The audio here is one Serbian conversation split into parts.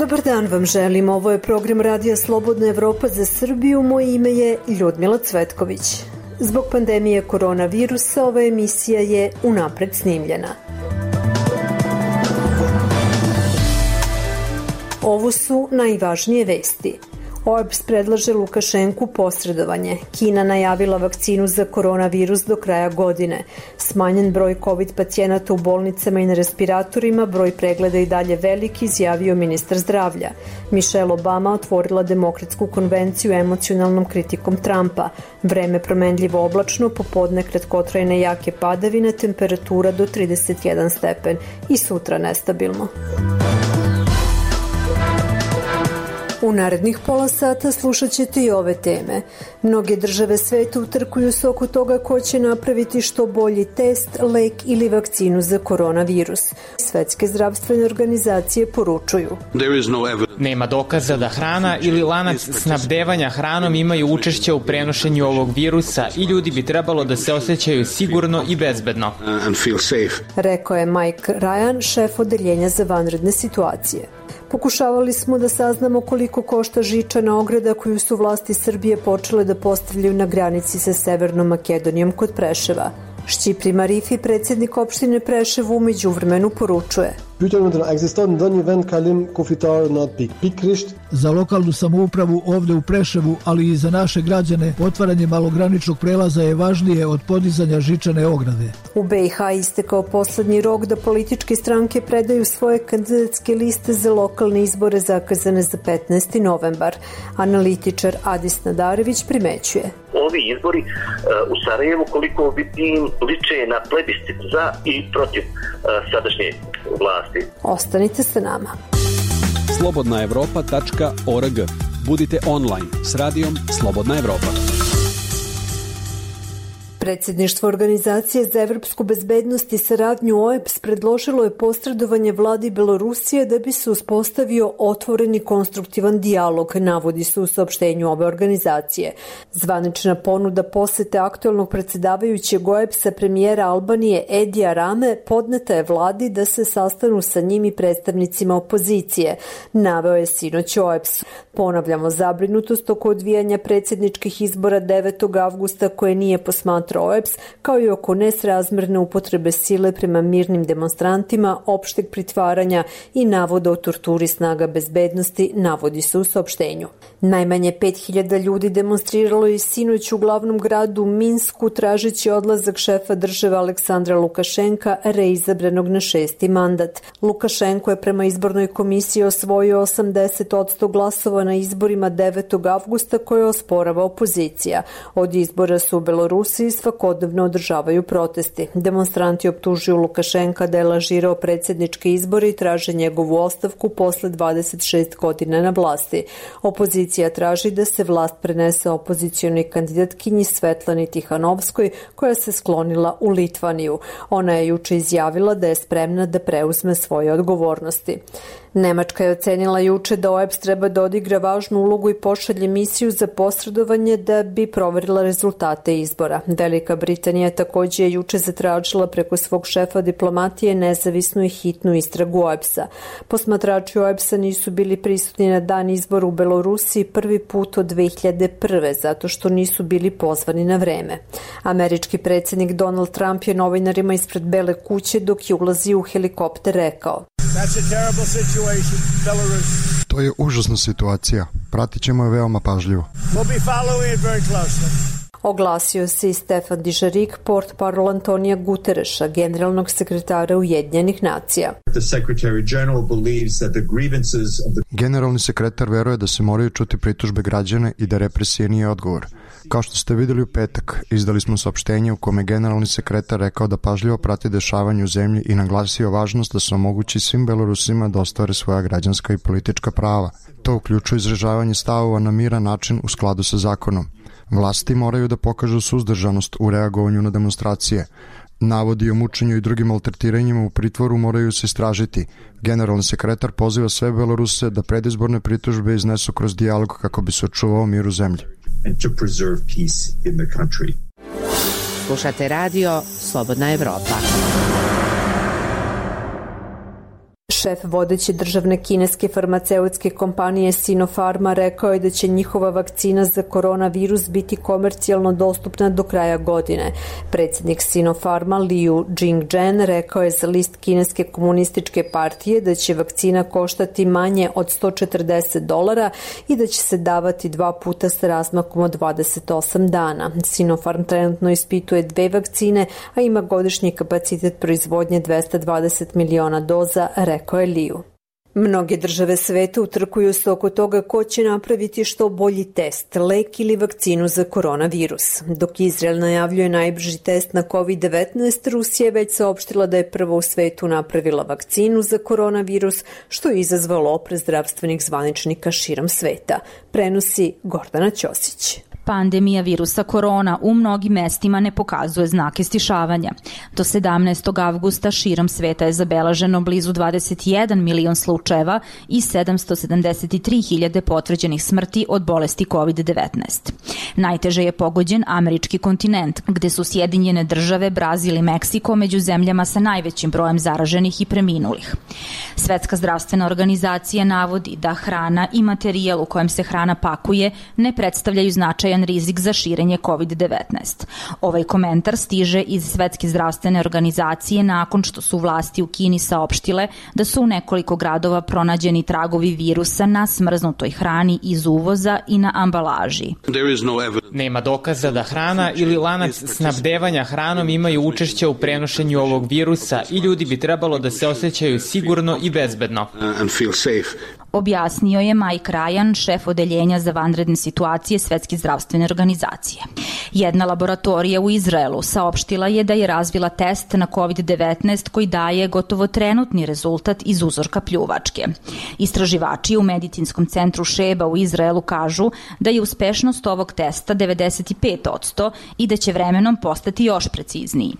Dobar dan vam želim, ovo je program Radija Slobodna Evropa za Srbiju, moje ime je Ljudmila Cvetković. Zbog pandemije koronavirusa ova emisija je unapred snimljena. Ovo su najvažnije vesti. OEBS predlaže Lukašenku posredovanje. Kina najavila vakcinu za koronavirus do kraja godine. Smanjen broj COVID pacijenata u bolnicama i na respiratorima, broj pregleda i dalje veliki, izjavio ministar zdravlja. Michelle Obama otvorila demokratsku konvenciju emocionalnom kritikom Trumpa. Vreme promenljivo oblačno, popodne kratkotrajne jake padavine, temperatura do 31 stepen i sutra nestabilno. U narednih pola sata slušat ćete i ove teme. Mnoge države sveta utrkuju se oko toga ko će napraviti što bolji test, lek ili vakcinu za koronavirus. Svetske zdravstvene organizacije poručuju: nema dokaza da hrana ili lanac snabdevanja hranom imaju učešće u prenošenju ovog virusa i ljudi bi trebalo da se osjećaju sigurno i bezbedno. Rekao je Mike Ryan, šef odeljenja za vanredne situacije. Pokušavali smo da saznamo koliko košta žičana ograda koju su vlasti Srbije počele da postavljaju na granici sa Severnom Makedonijom kod Preševa. Šćipri Marifi, predsjednik opštine Preševo, u međuvremenu poručuje: za lokalnu samoupravu ovde u Preševu, ali i za naše građane, otvaranje malograničnog prelaza je važnije od podizanja žičane ograde. U BiH istekao poslednji rok da političke stranke predaju svoje kandidatske liste za lokalne izbore zakazane za 15. novembar. Analitičar Adis Nadarević primećuje: ovi izbori u Sarajevu koliko liče na plebiscit za i protiv sadašnje vlasti. Ostanite sa nama. slobodnaevropa.org. Budite online s radijom Slobodna Evropa. Predsjedništvo Organizacije za evropsku bezbednost i saradnju OEBS predložilo je posredovanje vladi Belorusije da bi se uspostavio otvoreni konstruktivan dijalog, navodi se u saopštenju ove organizacije. Zvanična ponuda posete aktuelnog predsjedavajućeg OEBS-a premijera Albanije Edija Rame podneta je vladi da se sastanu sa njim i predstavnicima opozicije, naveo je sinoć OEBS. Ponavljamo zabrinutost oko odvijanja predsjedničkih izbora 9. avgusta koje nije posmatrao OEBS, kao i oko nesrazmerne upotrebe sile prema mirnim demonstrantima, opšteg pritvaranja i navoda o torturi snaga bezbednosti, navodi se u saopštenju. Najmanje 5000 ljudi demonstriralo je sinoć u glavnom gradu Minsku tražeći odlazak šefa države Aleksandra Lukašenka, reizabranog na 6. mandat. Lukašenko je prema izbornoj komisiji osvojio 80% glasova na izborima 9. avgusta koje osporava opozicija. Od izbora su u Belorusiji svakodnevno održavaju protesti. Demonstranti optužuju Lukašenka da je lažirao predsjedničke izbore i traže njegovu ostavku posle 26 godina na vlasti. Opozicija traži da se vlast prenese opozicionoj kandidatkinji Svetlani Tihanovskoj, koja se sklonila u Litvaniju. Ona je juče izjavila da je spremna da preuzme svoje odgovornosti. Nemačka je ocenila juče da OEBS treba da odigra važnu ulogu i pošalje misiju za posredovanje da bi proverila rezultate izbora. Velika Britanija također je juče zatražila preko svog šefa diplomatije nezavisnu i hitnu istragu OEBS-a. Posmatrači OEBS-a nisu bili prisutni na dan izbora u Belorusiji prvi put od 2001. zato što nisu bili pozvani na vreme. Američki predsjednik Donald Trump je novinarima ispred Bele kuće dok je ulazio u helikopter rekao: to je užasna situacija. Pratit ćemo je veoma pažljivo. Oglasio se i Stefan Dujarric, portparol Antonija Gutereša, generalnog sekretara Ujedinjenih nacija. Generalni sekretar veruje da se moraju čuti pritužbe građana i da represija nije odgovor. Kao što ste videli u petak, izdali smo saopštenje u kome generalni sekretar rekao da pažljivo prati dešavanje u zemlji i naglasio važnost da se omogući svim Belorusima da ostvare svoja građanska i politička prava. To uključuje izražavanje stavova na miran način u skladu sa zakonom. Vlasti moraju da pokažu suzdržanost u reagovanju na demonstracije. Navodi o mučenju i drugim maltretiranjima u pritvoru moraju se istražiti. Generalni sekretar poziva sve Beloruse da predizborne pritužbe iznesu kroz dijalog kako bi se očuvao mir u zemlji. Slušate radio Slobodna Evropa. Šef vodeće državne kineske farmaceutske kompanije Sinopharma rekao je da će njihova vakcina za koronavirus biti komercijalno dostupna do kraja godine. Predsjednik Sinopharma Liu Jingzhen rekao je za list Kineske komunističke partije da će vakcina koštati manje od $140 i da će se davati 2 puta sa razmakom od 28 dana. Sinopharm trenutno ispituje 2 vakcine, a ima godišnji kapacitet proizvodnje 220 miliona doza, rekao je Liu. Mnoge države sveta utrkuju se oko toga ko će napraviti što bolji test, lek ili vakcinu za koronavirus. Dok Izrael najavljuje najbrži test na COVID-19, Rusija je već saopštila da je prvo u svetu napravila vakcinu za koronavirus, što je izazvalo oprez zdravstvenih zvaničnika širom sveta. Prenosi Gordana Ćosić. Pandemija virusa korona u mnogim mestima ne pokazuje znake stišavanja. Do 17. avgusta širom sveta je zabeleženo blizu 21 milion slučajeva i 773.000 potvrđenih smrti od bolesti COVID-19. Najteže je pogođen američki kontinent, gde su Sjedinjene države, Brazil i Meksiko među zemljama sa najvećim brojem zaraženih i preminulih. Svetska zdravstvena organizacija navodi da hrana i materijal u kojem se hrana pakuje ne predstavljaju značajan rizik za širenje COVID-19. Ovaj komentar stiže iz Svetske zdravstvene organizacije nakon što su vlasti u Kini saopštile da su u nekoliko gradova pronađeni tragovi virusa na smrznutoj hrani iz uvoza i na ambalaži. Nema dokaza da hrana ili lanac snabdevanja hranom imaju učešće u prenošenju ovog virusa i ljudi bi trebalo da se osjećaju sigurno i bezbedno. Objasnio je Mike Ryan, šef odeljenja za vanredne situacije Svetske zdravstvene organizacije. Jedna laboratorija u Izraelu saopštila je da je razvila test na COVID-19 koji daje gotovo trenutni rezultat iz uzorka pljuvačke. Istraživači u medicinskom centru Šeba u Izraelu kažu da je uspešnost ovog testa 95% i da će vremenom postati još precizniji.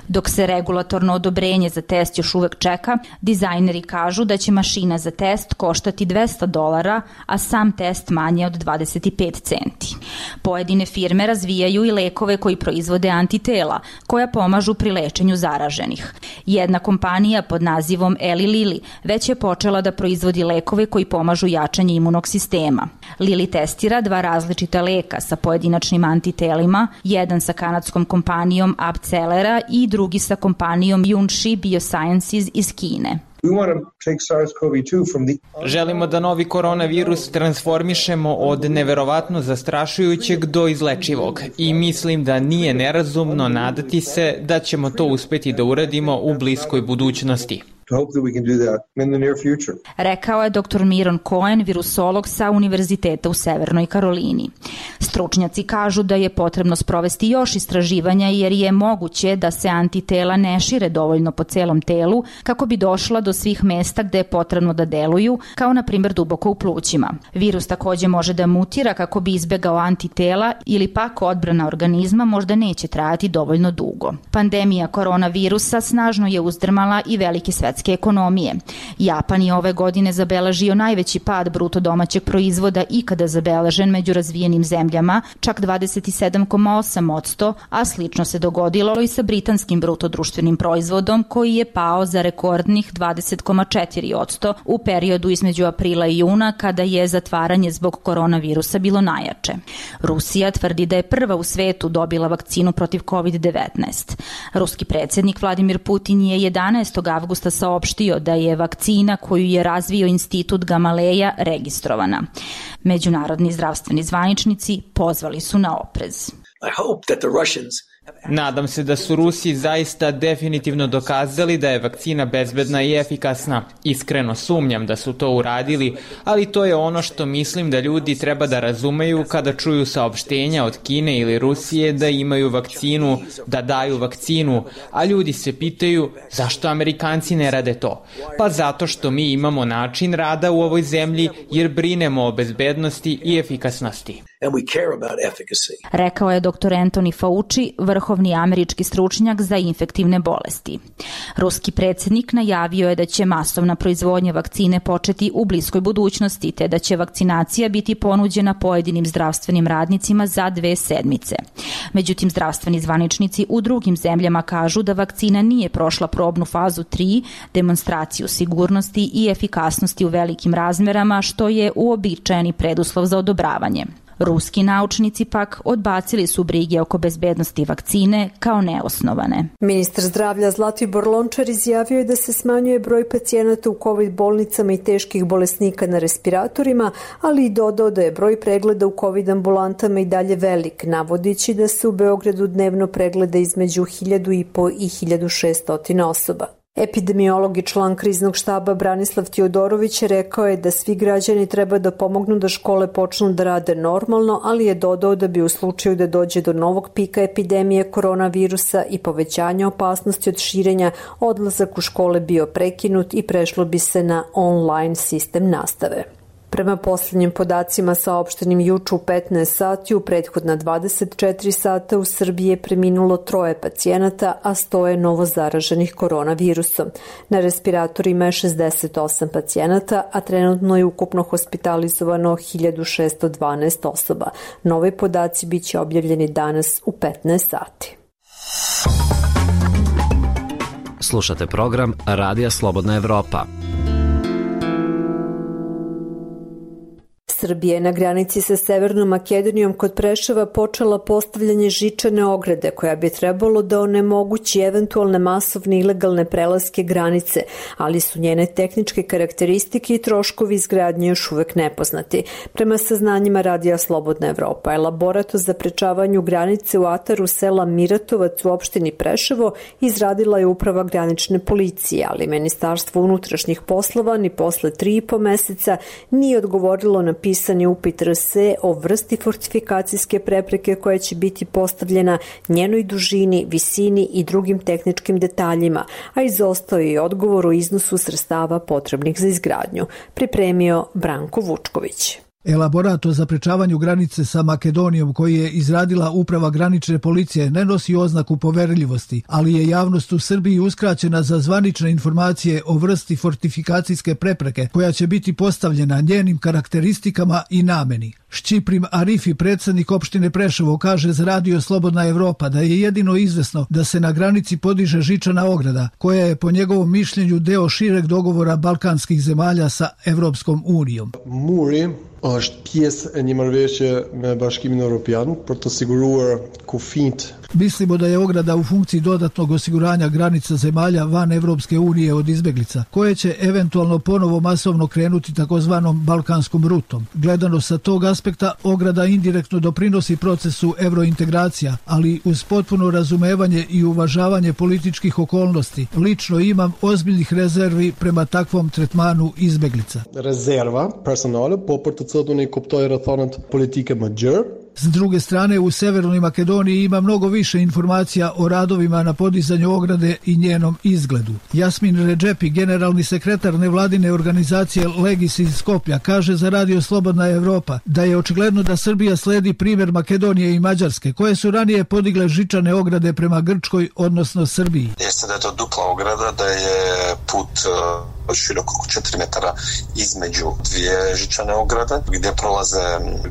Dok se regulatorno odobrenje za test još uvek čeka, dizajneri kažu da će mašina za test koštati $200, a sam test manje od 25 centi. Pojedine firme razvijaju i lekove koji proizvode antitela, koja pomažu pri lečenju zaraženih. Jedna kompanija pod nazivom Eli Lilly već je počela da proizvodi lekove koji pomažu jačanje imunog sistema. Lilly testira 2 različita leka sa pojedinačnim antitelima, jedan sa kanadskom kompanijom Abcelera i drugi sa kompanijom Junshi Biosciences iz Kine. Želimo da novi koronavirus transformišemo od neverovatno zastrašujućeg do izlečivog i mislim da nije nerazumno nadati se da ćemo to uspeti da uradimo u bliskoj budućnosti. Rekao je dr. Miron Cohen, virusolog sa Univerziteta u Severnoj Karolini. Stručnjaci kažu da je potrebno sprovesti još istraživanja jer je moguće da se antitela ne šire dovoljno po celom telu kako bi došla do svih mesta gde je potrebno da deluju, kao na primjer duboko u plućima. Virus takođe može da mutira kako bi izbegao antitela ili pak odbrana organizma možda neće trajati dovoljno dugo. Pandemija koronavirusa snažno je uzdrmala i velike svetske ekonomije. Japan je ove godine zabeležio najveći pad bruto domaćeg proizvoda ikada zabeležen među razvijenim zemljama, čak 27,8%, a slično se dogodilo i sa britanskim bruto društvenim proizvodom koji je pao za rekordnih 20,4% u periodu između aprila i juna kada je zatvaranje zbog koronavirusa bilo najjače. Rusija tvrdi da je prva u svetu dobila vakcinu protiv COVID-19. Ruski predsjednik Vladimir Putin je 11. avgusta saopštio da je vakcina koju je razvio Institut Gamaleja registrovana. Međunarodni zdravstveni zvaničnici pozvali su na oprez. Nadam se da su Rusi zaista definitivno dokazali da je vakcina bezbedna i efikasna. Iskreno sumnjam da su to uradili, ali to je ono što mislim da ljudi treba da razumeju kada čuju saopštenja od Kine ili Rusije da imaju vakcinu, da daju vakcinu, a ljudi se pitaju zašto Amerikanci ne rade to. Pa zato što mi imamo način rada u ovoj zemlji jer brinemo o bezbednosti i efikasnosti. Rekao je dr. Anthony Fauci, vrhovni američki stručnjak za infektivne bolesti. Ruski predsjednik najavio je da će masovna proizvodnja vakcine početi u bliskoj budućnosti, te da će vakcinacija biti ponuđena pojedinim zdravstvenim radnicima za 2 sedmice. Međutim, zdravstveni zvaničnici u drugim zemljama kažu da vakcina nije prošla probnu fazu 3, demonstraciju sigurnosti i efikasnosti u velikim razmerama, što je uobičajeni preduslov za odobravanje. Ruski naučnici pak odbacili su brige oko bezbednosti vakcine kao neosnovane. Ministar zdravlja Zlatibor Lončar izjavio je da se smanjuje broj pacijenata u COVID bolnicama i teških bolesnika na respiratorima, ali i dodao da je broj pregleda u COVID ambulantama i dalje velik, navodići da se u Beogradu dnevno pregleda između 1.500 i 1.600 osoba. Epidemiolog i član kriznog štaba Branislav Tijodorović rekao je da svi građani treba da pomognu da škole počnu da rade normalno, ali je dodao da bi u slučaju da dođe do novog pika epidemije koronavirusa i povećanja opasnosti od širenja, odlazak u škole bio prekinut i prešlo bi se na online sistem nastave. Prema posljednjim podacima saopštenim juče u 15 sati, u prethodna 24 sata u Srbiji je preminulo 3 pacijenata, a 100 je novo zaraženih koronavirusom. Na respiratorima je 68 pacijenata, a trenutno je ukupno hospitalizovano 1612 osoba. Novi podaci biće objavljeni danas u 15 sati. Slušate program Radija Slobodna Evropa. Srbija je na granici sa Severnom Makedonijom kod Preševa počela postavljanje žičane ograde koja bi trebalo da onemogući eventualne masovne ilegalne prelaske granice, ali su njene tehničke karakteristike i troškovi izgradnje još uvek nepoznati. Prema saznanjima Radija Slobodna Evropa, elaborat o zaprečavanju granice u ataru sela Miratovac u opštini Preševo izradila je Uprava granične policije, ali Ministarstvo unutrašnjih poslova ni posle 3,5 meseca nije odgovorilo na pisani upit RS o vrsti fortifikacijske prepreke koja će biti postavljena, njenoj dužini, visini i drugim tehničkim detaljima, a izostao je odgovor o iznosu sredstava potrebnih za izgradnju. Pripremio Branko Vučković. Elaborat o zaprečavanju granice sa Makedonijom koji je izradila Uprava granične policije ne nosi oznaku poverljivosti, ali je javnost u Srbiji uskraćena za zvanične informacije o vrsti fortifikacijske prepreke koja će biti postavljena, njenim karakteristikama i nameni. Šćiprim Arifi, predsjednik opštine Preševo, kaže za Radio Slobodna Evropa da je jedino izvesno da se na granici podiže žičana ograda, koja je po njegovom mišljenju deo šireg dogovora balkanskih zemalja sa Evropskom unijom. Muri është pjesë e një marrëveshje me Bashkimin Evropian për të siguruar kufijt. Mislimo da je ograda u funkciji dodatnog osiguranja granica zemalja van Evropske unije od izbeglica, koje će eventualno ponovo masovno krenuti takozvanom balkanskom rutom. Gledano sa tog aspekta, ograda indirektno doprinosi procesu evrointegracija, ali uz potpuno razumevanje i uvažavanje političkih okolnosti, lično imam ozbiljnih rezervi prema takvom tretmanu izbeglica. Rezerva personale, po për të cilën unë i kuptoj rrethanat politike më gjerë. S druge strane, u Severnoj Makedoniji ima mnogo više informacija o radovima na podizanju ograde i njenom izgledu. Jasmin Redžepi, generalni sekretar nevladine organizacije Legis iz Skoplja, kaže za Radio Slobodna Evropa da je očigledno da Srbija sledi primjer Makedonije i Mađarske, koje su ranije podigle žičane ograde prema Grčkoj, odnosno Srbiji. Jeste da je to dupla ograda, da je put širok oko 4 metara između dvije žičane ograde, gdje prolaze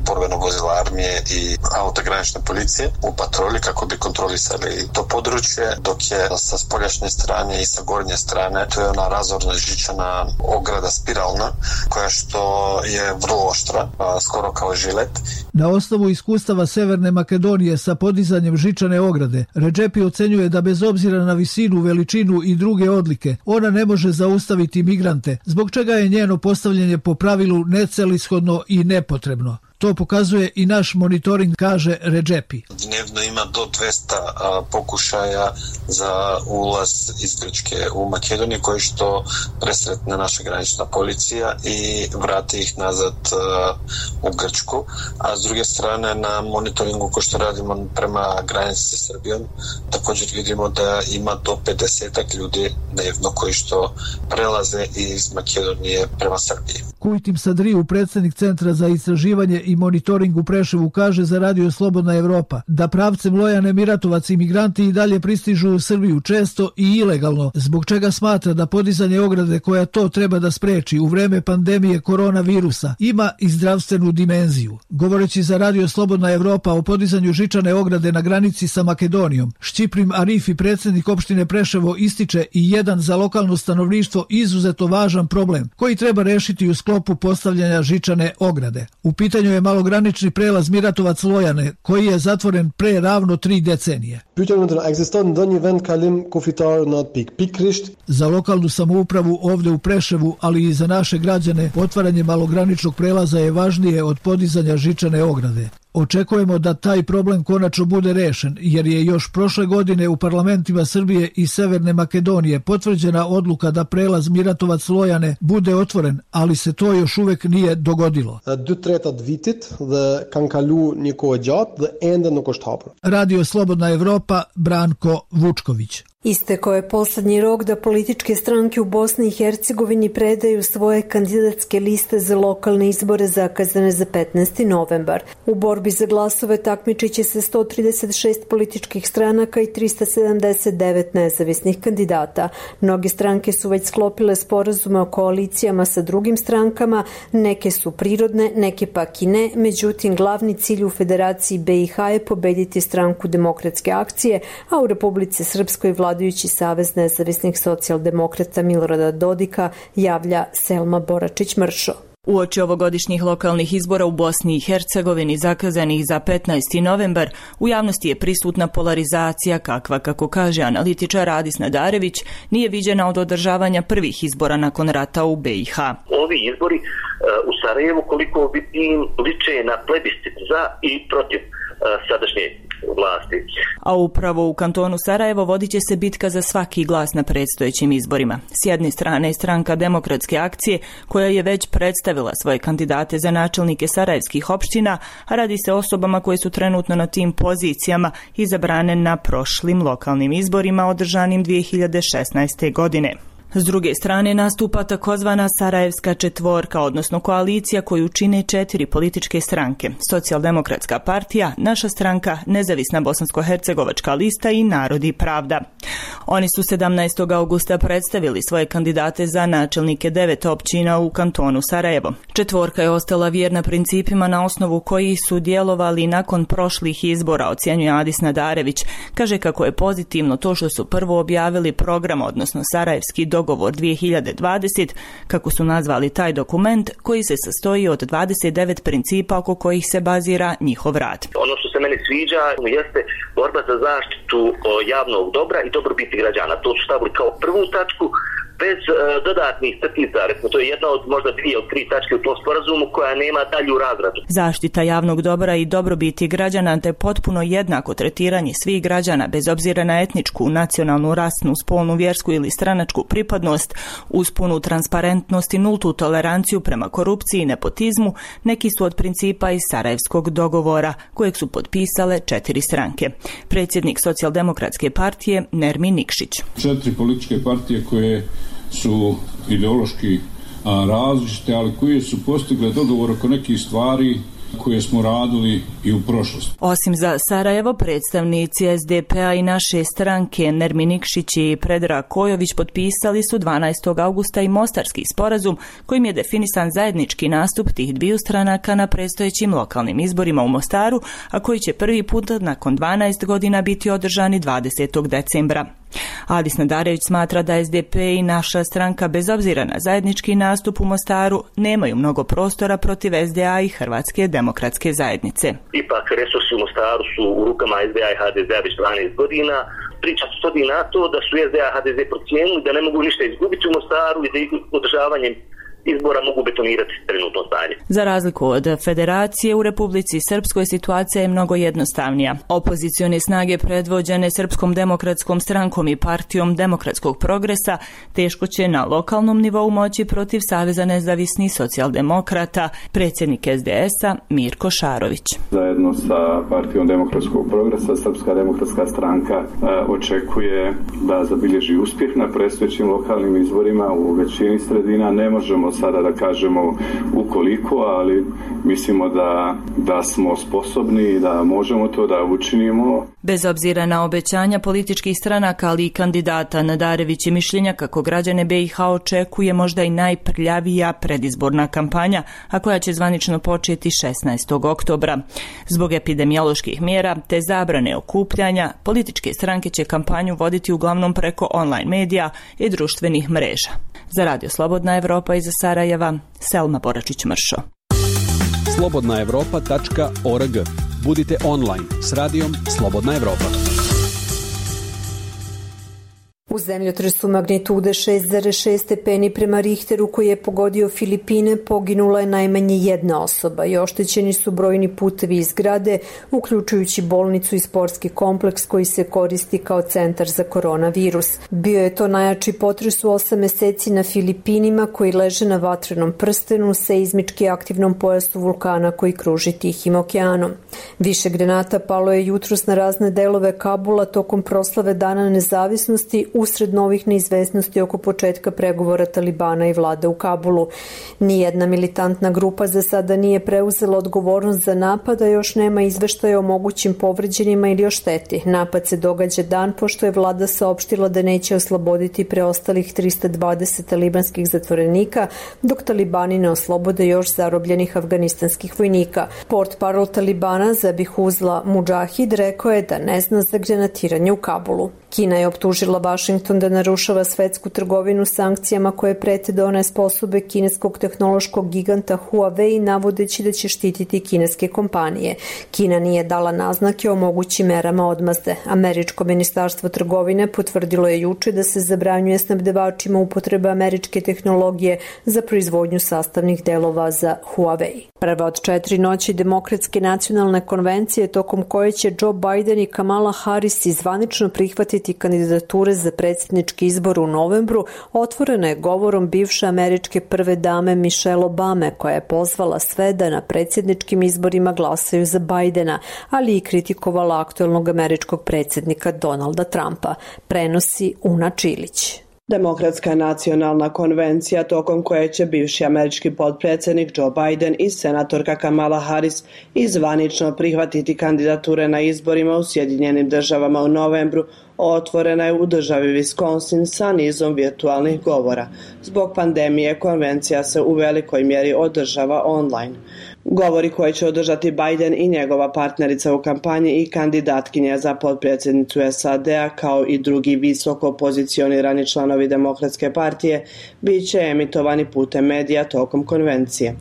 borbeno vozila armije i auto granične policije u patrolji kako bi kontrolisali to područje, dok je sa spoljašnje strane i sa gornje strane to je ona razorna žičana ograda spiralna, koja što je vrlo oštra, skoro kao žilet. Na osnovu iskustava Severne Makedonije sa podizanjem žičane ograde, Redžepi ocenjuje da bez obzira na visinu, veličinu i druge odlike, ona ne može zaustaviti migrante, zbog čega je njeno postavljanje po pravilu necelishodno i nepotrebno. To pokazuje i naš monitoring, kaže Redžepi. Dnevno ima do 200 pokušaja za ulaz iz Grčke u Makedoniju, koji što presretne naša granična policija i vrati ih nazad u Grčku. A s druge strane, na monitoringu ko što radimo prema granici sa Srbijom, također vidimo da ima do 50 ljudi dnevno koji što prelaze iz Makedonije prema Srbiji. Kujtim Sadriju, predsjednik Centra za istraživanje i monitoring u Preševu, kaže za Radio Slobodna Evropa da pravcem Lojane Miratovac imigranti i dalje pristižu u Srbiju često i ilegalno, zbog čega smatra da podizanje ograde koja to treba da spreči u vreme pandemije koronavirusa ima i zdravstvenu dimenziju. Govoreći za Radio Slobodna Evropa o podizanju žičane ograde na granici sa Makedonijom, Šćiprim Arifi, predsjednik opštine Preševo, ističe i jedan za lokalno stanovništvo izuzetno važan problem koji treba rešiti u sklopu postavljanja žičane ograde. U pitanju je malogranični prelaz Miratovac-Lojane koji je zatvoren pre ravno 3 decenije. Za lokalnu samoupravu ovde u Preševu, ali i za naše građane, otvaranje malograničnog prelaza je važnije od podizanja žičane ograde. Očekujemo da taj problem konačno bude rešen, jer je još prošle godine u parlamentima Srbije i Severne Makedonije potvrđena odluka da prelaz Miratovac-Lojane bude otvoren, ali se to još uvek nije dogodilo. Radio Slobodna Evropa, Branko Vučković. Istekao je poslednji rok da političke stranke u Bosni i Hercegovini predaju svoje kandidatske liste za lokalne izbore zakazane za 15. novembar. U borbi za glasove takmičiće se 136 političkih stranaka i 379 nezavisnih kandidata. Mnoge stranke su već sklopile sporazume o koalicijama sa drugim strankama, neke su prirodne, neke pak i ne, međutim glavni cilj u Federaciji BiH je pobediti stranku Demokratske akcije, a u Republici Srpskoj vladajući Savez nezavisnih socijaldemokrata Milorada Dodika, javlja Selma Boračić-Mršo. Uoči ovogodišnjih lokalnih izbora u Bosni i Hercegovini zakazanih za 15. novembar, u javnosti je prisutna polarizacija kakva, kako kaže analitičar Adis Nadarević, nije viđena od održavanja prvih izbora nakon rata u BiH. Ovi izbori u Sarajevu koliko liče na plebiscit za i protiv sadašnje vlasti. A upravo u kantonu Sarajevo vodit će se bitka za svaki glas na predstojećim izborima. S jedne strane je stranka Demokratske akcije, koja je već predstavila svoje kandidate za načelnike sarajevskih opština, a radi se o osobama koje su trenutno na tim pozicijama izabrane na prošlim lokalnim izborima održanim 2016. godine. S druge strane nastupa takozvana Sarajevska četvorka, odnosno koalicija koju čine 4 političke stranke: Socijaldemokratska partija, Naša stranka, Nezavisna bosansko-hercegovačka lista i Narod i pravda. Oni su 17. augusta predstavili svoje kandidate za načelnike 9 općina u kantonu Sarajevo. Četvorka je ostala vjerna principima na osnovu kojih su djelovali nakon prošlih izbora, ocjenjuje Adis Nadarević. Kaže kako je pozitivno to što su prvo objavili program, odnosno Sarajevski dogovor 2020, kako su nazvali taj dokument, koji se sastoji od 29 principa oko kojih se bazira njihov rad. Ono što se meni sviđa jeste borba za zaštitu javnog dobra i dobrobiti građana. To su stavili kao prvu tačku, bez dodatnih crtica. To je jedna od možda 2 od 3 tačke u tom sporazumu koja nema dalju razradu. Zaštita javnog dobra i dobrobiti građana te potpuno jednako tretiranje svih građana bez obzira na etničku, nacionalnu, rasnu, spolnu, vjersku ili stranačku pripadnost, uz punu transparentnost i nultu toleranciju prema korupciji i nepotizmu neki su od principa iz Sarajevskog dogovora, kojeg su potpisale 4 stranke. Predsjednik Socijaldemokratske partije Nermin Nikšić. 4 političke partije koje su ideološki različite, ali koje su postigle dogovor oko nekih stvari koje smo radili i u prošlosti. Osim za Sarajevo, predstavnici SDP-a i Naše stranke Nermin Nikšić i Predrag Kojović potpisali su 12. augusta i Mostarski sporazum kojim je definisan zajednički nastup tih dviju stranaka na predstojećim lokalnim izborima u Mostaru, a koji će prvi put nakon 12 godina biti održani 20. decembra. Adis Nadarević smatra da SDP i Naša stranka bez obzira na zajednički nastup u Mostaru nemaju mnogo prostora protiv SDA i Hrvatske demokratske zajednice. Ipak resursi u Mostaru su u rukama SDA i HDZ već 12 godina. Priča se svodi na to da su SDA i HDZ procijenili da ne mogu ništa izgubiti u Mostaru i da održavanjem izbora mogu betonirati trenutno stanje. Za razliku od federacije, u Republici Srpskoj situacija je mnogo jednostavnija. Opozicione snage predvođene Srpskom demokratskom strankom i partijom Demokratskog progresa teško će na lokalnom nivou moći protiv Saveza nezavisnih socijaldemokrata, predsjednik SDS-a Mirko Šarović. Zajedno sa partijom Demokratskog progresa, Srpska demokratska stranka očekuje da zabilježi uspjeh na predstojećim lokalnim izborima u većini sredina. Ne možemo možemo sada da kažemo ukoliko, ali mislimo da smo sposobni i da možemo to da učinimo. Bez obzira na obećanja političkih stranaka, ali i kandidata, Nadarević je mišljenja kako građane BiH očekuje možda i najprljavija predizborna kampanja, a koja će zvanično početi 16. oktobra. Zbog epidemioloških mjera te zabrane okupljanja, političke stranke će kampanju voditi uglavnom preko online medija i društvenih mreža. Za Radio Slobodna Evropa iz Sarajeva, Selma Boračić-Mršo. slobodnaevropa.org. Budite online s radijom Slobodna Evropa. U zemljotresu magnitude 6,6 stepeni prema Richteru koji je pogodio Filipine poginula je najmanje jedna osoba i oštećeni su brojni putevi i zgrade, uključujući bolnicu i sportski kompleks koji se koristi kao centar za koronavirus. Bio je to najjači potres u 8 meseci na Filipinima koji leže na vatrenom prstenu, seizmički aktivnom pojasu vulkana koji kruži Tihim okeanom. Više granata palo je jutros na razne delove Kabula tokom proslave Dana nezavisnosti usred novih neizvesnosti oko početka pregovora Talibana i vlade u Kabulu. Nijedna militantna grupa za sada nije preuzela odgovornost za napad, a još nema izveštaja o mogućim povređenima ili o šteti. Napad se događa dan pošto je vlada saopštila da neće osloboditi preostalih 320 talibanskih zatvorenika, dok Talibani ne oslobode još zarobljenih afganistanskih vojnika. Portparol Talibana Zabihuzla Mudžahid rekao je da ne zna za granatiranje u Kabulu. Kina je optužila Washington da narušava svetsku trgovinu sankcijama koje prete da one sposobe kineskog tehnološkog giganta Huawei, navodeći da će štititi kineske kompanije. Kina nije dala naznake o mogućim merama odmazde. Američko ministarstvo trgovine potvrdilo je juče da se zabranjuje snabdevačima upotreba američke tehnologije za proizvodnju sastavnih delova za Huawei. Prva od 4 noći Demokratske nacionalne konvencije tokom koje će Joe Biden i Kamala Harris zvanično prihvatiti kandidature za predsjednički izbor u novembru, otvorena je govorom bivše američke prve dame Michelle Obame, koja je pozvala sve da na predsjedničkim izborima glasaju za Bidena, ali i kritikovala aktuelnog američkog predsjednika Donalda Trumpa. Prenosi Una Čilić. Demokratska nacionalna konvencija tokom koje će bivši američki potpredsjednik Joe Biden i senatorka Kamala Harris zvanično prihvatiti kandidature na izborima u Sjedinjenim državama u novembru, otvorena je u državi Wisconsin sa nizom virtualnih govora. Zbog pandemije konvencija se u velikoj mjeri održava online. Govori koje će održati Biden i njegova partnerica u kampanji i kandidatkinja za potpredsjednicu SAD-a kao i drugi visoko pozicionirani članovi Demokratske partije bit će emitovani putem medija tokom konvencije.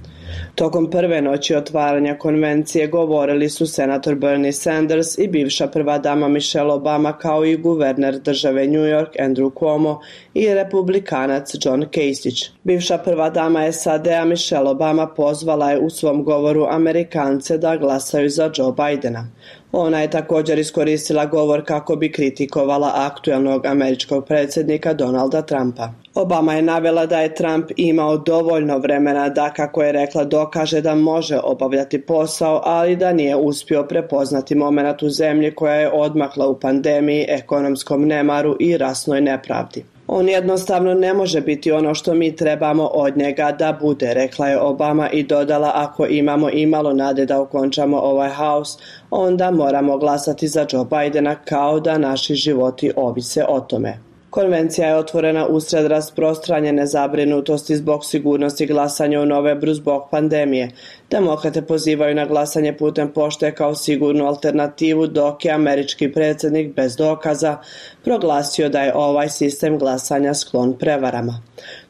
Tokom prve noći otvaranja konvencije govorili su senator Bernie Sanders i bivša prva dama Michelle Obama kao i guverner države New York Andrew Cuomo i republikanac John Kasich. Bivša prva dama SAD-a Michelle Obama pozvala je u svom govoru Amerikance da glasaju za Joe Bidena. Ona je također iskoristila govor kako bi kritikovala aktuelnog američkog predsjednika Donalda Trumpa. Obama je navela da je Trump imao dovoljno vremena da, kako je rekla, dokaže da može obavljati posao, ali da nije uspio prepoznati momenat u zemlji koja je odmakla u pandemiji, ekonomskom nemaru i rasnoj nepravdi. On jednostavno ne može biti ono što mi trebamo od njega da bude, rekla je Obama i dodala, ako imamo imalo nade da okončamo ovaj haos, onda moramo glasati za Joe Bidena kao da naši životi ovise o tome. Konvencija je otvorena usred rasprostranjene zabrinutosti zbog sigurnosti glasanja u novembru zbog pandemije. Demokrate pozivaju na glasanje putem pošte kao sigurnu alternativu, dok je američki predsjednik bez dokaza proglasio da je ovaj sistem glasanja sklon prevarama.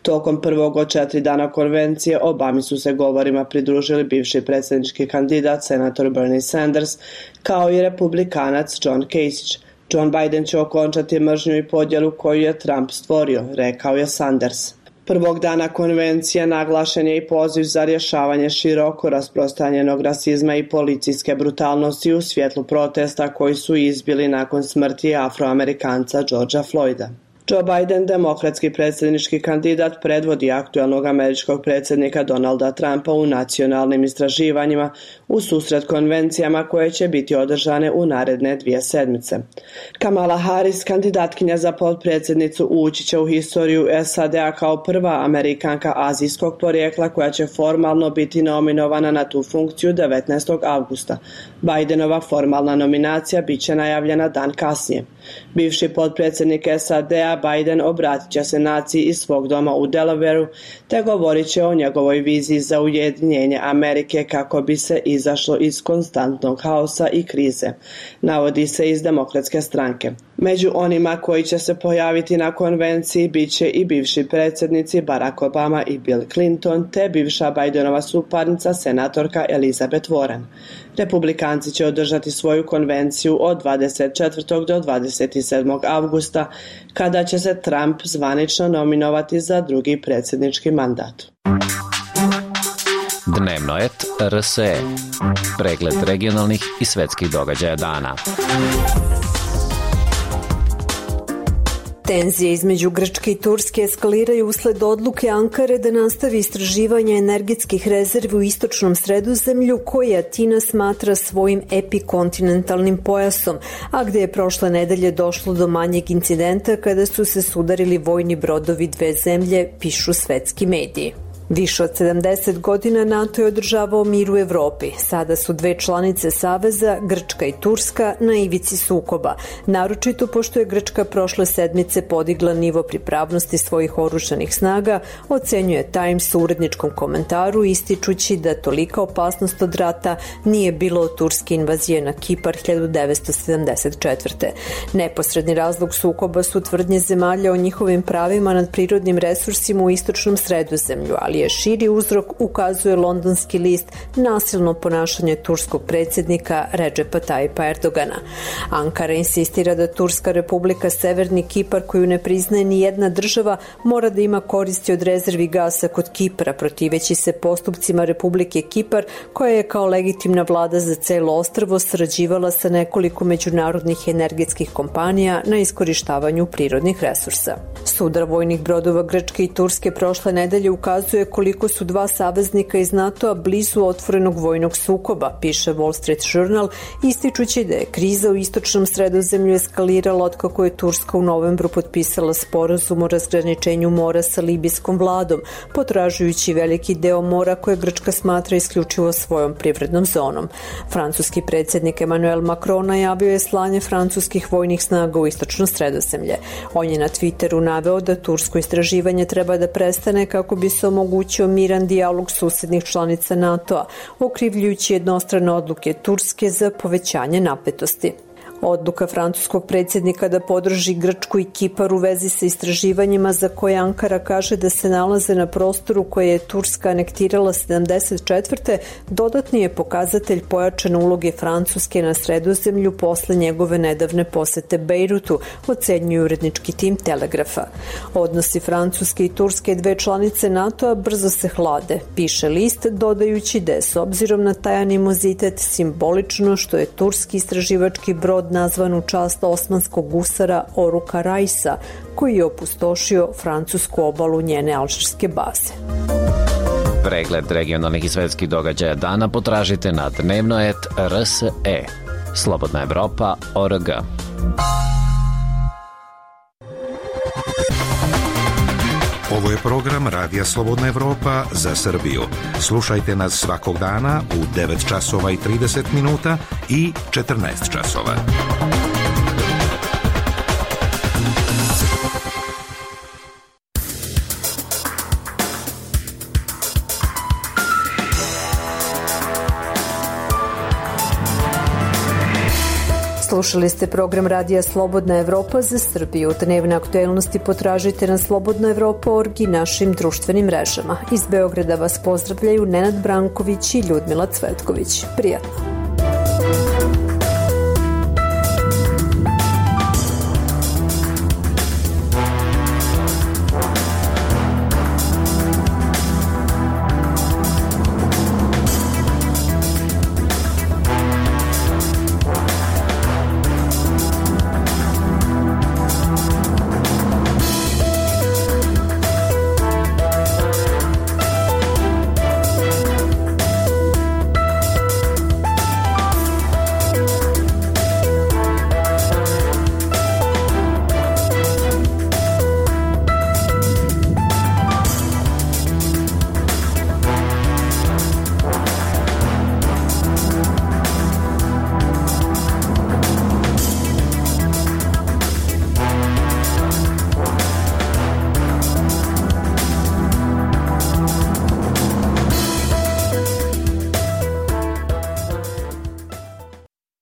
Tokom prvog od 4 dana konvencije Obami su se govorima pridružili bivši predsjednički kandidat senator Bernie Sanders kao i republikanac John Kasich. John Biden će okončati mržnju i podjelu koju je Trump stvorio, rekao je Sanders. Prvog dana konvencije naglašen je i poziv za rješavanje široko rasprostranjenog rasizma i policijske brutalnosti u svjetlu protesta koji su izbili nakon smrti Afroamerikanca Georgea Floyda. Joe Biden, demokratski predsjednički kandidat, predvodi aktualnog američkog predsjednika Donalda Trumpa u nacionalnim istraživanjima u susret konvencijama koje će biti održane u naredne 2 sedmice. Kamala Harris, kandidatkinja za potpredsjednicu, ući će u historiju SAD-a kao prva Amerikanka azijskog porijekla koja će formalno biti nominovana na tu funkciju 19. avgusta. Bidenova formalna nominacija bit će najavljena dan kasnije. Bivši potpredsjednik SAD-a Biden obratit će se naciji iz svog doma u Delawareu te govorit će o njegovoj viziji za ujedinjenje Amerike kako bi se izašlo iz konstantnog haosa i krize, navodi se iz Demokratske stranke. Među onima koji će se pojaviti na konvenciji bit će i bivši predsjednici Barack Obama i Bill Clinton te bivša Bidenova suparnica senatorka Elizabeth Warren. Republikanci će održati svoju konvenciju od 24. do 27. avgusta, kada će se Trump zvanično nominovati za drugi predsjednički mandat. Dnevno et RSE. Pregled regionalnih i svetskih događaja dana. Tenzije između Grčke i Turske eskaliraju usled odluke Ankare da nastavi istraživanje energetskih rezervi u istočnom Sredozemlju koje Atina smatra svojim epikontinentalnim pojasom, a gde je prošle nedelje došlo do manjeg incidenta kada su se sudarili vojni brodovi dve zemlje, pišu svetski mediji. Više od 70 godina NATO je održavao mir u Evropi. Sada su dve članice Saveza, Grčka i Turska, na ivici sukoba. Naročito pošto je Grčka prošle sedmice podigla nivo pripravnosti svojih oružanih snaga, ocenjuje Times u uredničkom komentaru ističući da tolika opasnost od rata nije bilo od turske invazije na Kipar 1974. Neposredni razlog sukoba su tvrdnje zemalja o njihovim pravima nad prirodnim resursima u istočnom Sredozemlju, ali je širi uzrok, ukazuje londonski list, nasilno ponašanje turskog predsjednika Redžepa Tajipa Erdogana. Ankara insistira da Turska republika Severni Kipar, koju ne priznaje ni jedna država, mora da ima koristi od rezervi gasa kod Kipra, protiveći se postupcima Republike Kipar, koja je kao legitimna vlada za celo ostrvo sarađivala sa nekoliko međunarodnih energetskih kompanija na iskorištavanju prirodnih resursa. Sudar vojnih brodova Grčke i Turske prošle nedelje ukazuje koliko su dva saveznika iz NATO-a blizu otvorenog vojnog sukoba, piše Wall Street Journal, ističući da je kriza u istočnom Sredozemlju eskalirala otkako je Turska u novembru potpisala sporazum o razgraničenju mora sa libijskom vladom, potražujući veliki deo mora koje Grčka smatra isključivo svojom privrednom zonom. Francuski predsjednik Emmanuel Macron najavio je slanje francuskih vojnih snaga u istočno Sredozemlje. On je na Twitteru naveo da tursko istraživanje treba da prestane kako bi se omogućio miran dijalog susednih članica NATO-a, okrivljujući jednostrane odluke Turske za povećanje napetosti. Odluka francuskog predsjednika da podrži Grčku i Kipar u vezi sa istraživanjima za koje Ankara kaže da se nalaze na prostoru koje je Turska anektirala 74. dodatni je pokazatelj pojačane uloge Francuske na Sredozemlju posle njegove nedavne posete Bejrutu, ocenjuje urednički tim Telegrafa. Odnosi Francuske i Turske, dve članice NATO-a, brzo se hlade, piše list, dodajući da je s obzirom na taj animozitet simbolično što je turski istraživački brod nazvan u čast osmanskog gusara Oruka Rajsa, koji je opustošio francusku obalu njene alžirske baze. Pregled regionalnih i svetskih događaja dana potražite na dnevnoet.rse. Slobodna Evropa.org. Ovo je program Radija Slobodna Evropa za Srbiju. Slušajte nas svakog dana u 9 časova i 30 minuta i 14 časova. Slušali ste program Radija Slobodna Evropa za Srbiju. Dnevne aktuelnosti potražite na slobodnaevropa.org i našim društvenim mrežama. Iz Beograda vas pozdravljaju Nenad Branković i Ljudmila Cvetković. Prijatno.